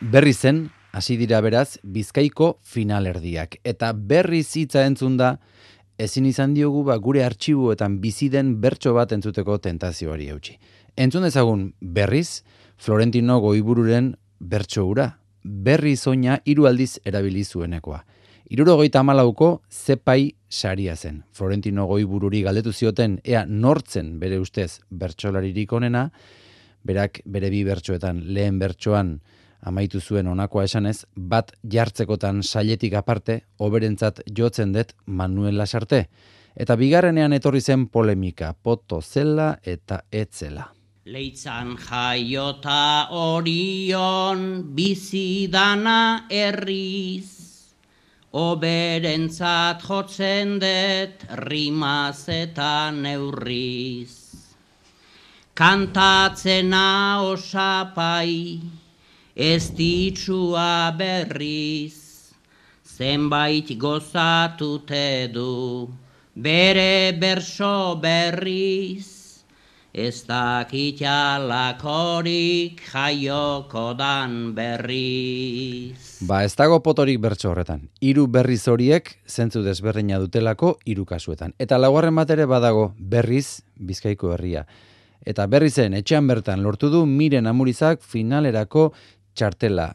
Berri zen, hasi dira beraz, Bizkaiko finalerdiak. Eta berriz hitza entzun da, ezin izan diogu gure artxibuetan bizi den bertso bat entzuteko tentazioari eutsi. Entzun dezagun berriz, Florentino Goibururen bertso hura. Berriz oina 3 aldiz erabili zuenekoa. 74ko zepai saria zen. Florentino Goibururi galdetu zioten ea nortzen bere ustez bertsolaririk onena, berak bere 2 bertsoetan lehen bertsoan amaitu zuen honakoa esanez, bat jartzekotan sailetik aparte, oberentzat jotzen dut Manuel Lasarte. Eta bigarrenean etorri zen polemika, poto zela eta etzela. Leitzan jaiota orion bizidana erriz, oberentzat jotzen dut rimaz eta neurriz. Kantatzena osapai, ez ditxua berriz, zenbait gozatute du, bere berso berriz, ez dakit alakorik jaioko dan berriz. Ez dago potorik bertso horretan. 3 berriz horiek zentzu desberdina dutelako 3 kasuetan. Eta laugarren bat ere badago berriz Bizkaiko herria. Eta berrizen etxean bertan lortu du Miren Amurizak finalerako txartela